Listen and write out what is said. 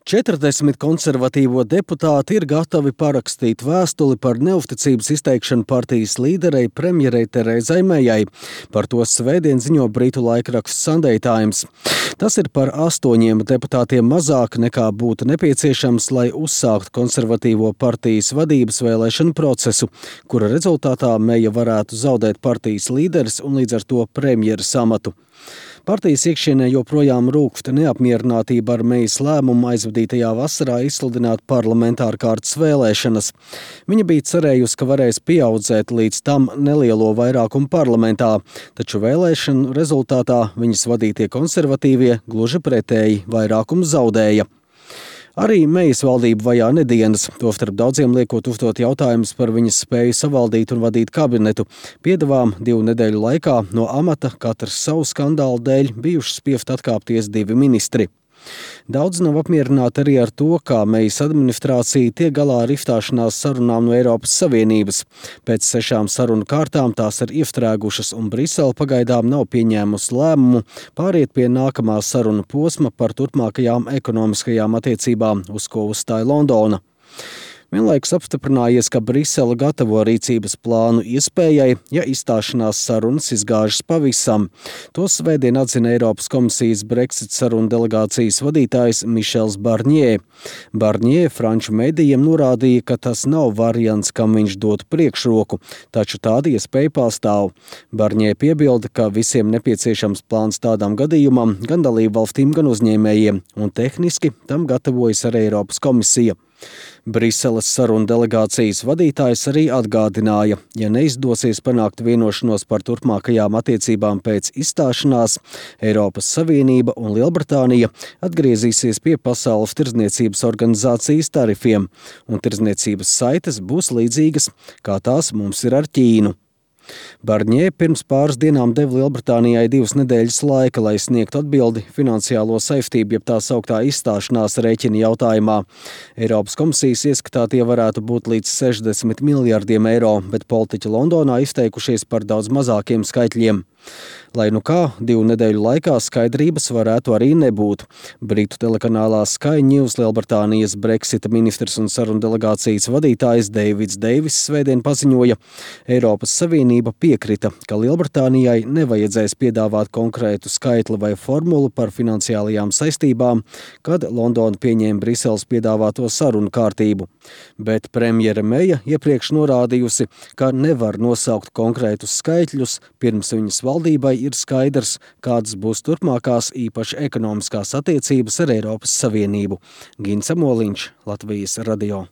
40 konservatīvo deputāti ir gatavi parakstīt vēstuli par neusticības izteikšanu partijas līderei premjerei Terezai Mejai. Par to svētdien ziņo britu laikraksts Sunday Times. Tas ir par 8 deputātiem mazāk nekā būtu nepieciešams, lai uzsāktu konservatīvo partijas vadības vēlēšanu procesu, kura rezultātā Meja varētu zaudēt partijas līderes un līdz ar to premjeras amatu. Partijas iekšienē joprojām rūkst neapmierinātība ar Mejas lēmumu aizvadītajā vasarā izsludināt parlamentāru kārtas vēlēšanas. Viņa bija cerējusi, ka varēs pieaudzēt līdz tam nelielo vairākumu parlamentā, taču vēlēšanu rezultātā viņas vadītie konservatīvie gluži pretēji vairākumu zaudēja. Arī Mejas valdība vajā nedienas, tostarp daudziem liekot uzdot jautājumus par viņas spēju savaldīt un vadīt kabinetu. Piedevām 2 nedēļu laikā no amata katrs savu skandālu dēļ bijuši spiest atkāpties 2 ministri. Daudz nav apmierināti arī ar to, kā Mejas administrācija tiek galā ar izstāšanās sarunām no Eiropas Savienības. Pēc 6 sarunu kārtām tās ir iestrēgušas un Brisele pagaidām nav pieņēmusi lēmumu pāriet pie nākamā sarunu posma par turpmākajām ekonomiskajām attiecībām, uz ko uzstāja Londona. Vienlaikus apstiprinājies, ka Brisele gatavo rīcības plānu iespējai, ja izstāšanās sarunas izgāžas pavisam. To svētdien atzina Eiropas komisijas Brexit sarunu delegācijas vadītājs Mišels Barņē. Barņē franču medijiem norādīja, ka tas nav variants, kam viņš dotu priekšroku, taču tāda iespēja pastāv. Barņē piebilda, ka visiem nepieciešams plāns tādam gadījumam, gan dalībvalstīm, gan uzņēmējiem, un tehniski tam gatavojas arī Eiropas komisija. Briseles sarunu delegācijas vadītājs arī atgādināja, ja neizdosies panākt vienošanos par turpmākajām attiecībām pēc izstāšanās, Eiropas Savienība un Lielbritānija atgriezīsies pie Pasaules tirdzniecības organizācijas tarifiem, un tirdzniecības saites būs līdzīgas, kā tās mums ir ar Ķīnu. Barņē pirms pāris dienām deva Lielbritānijai 2 nedēļas laika, lai sniegtu atbildi finansiālo saistību, jeb tā sauktā izstāšanās rēķina jautājumā. Eiropas komisijas ieskatā tie varētu būt līdz 60 miljardiem eiro, bet politiķi Londonā izteikušies par daudz mazākiem skaitļiem. Lai nu kā, 2 nedēļu laikā skaidrības varētu arī nebūt. Britu telekanālā Sky News Lielbritānijas Brexita ministrs un sarunu delegācijas vadītājs Deivids Deivis svētdien paziņoja, Eiropas Savienība piekrita, ka Lielbritānijai nevajadzēs piedāvāt konkrētu skaitli vai formulu par finansiālajām saistībām, kad Londona pieņēma Briseles piedāvāto sarunu kārtību. Bet premjere Meja iepriekš norādījusi, ka nevar nosaukt konkrētus skaitļus, pirms viņas valdībai ir skaidrs, kādas būs turpmākās īpaši ekonomiskās attiecības ar Eiropas Savienību. Gins Amoliņš, Latvijas radio.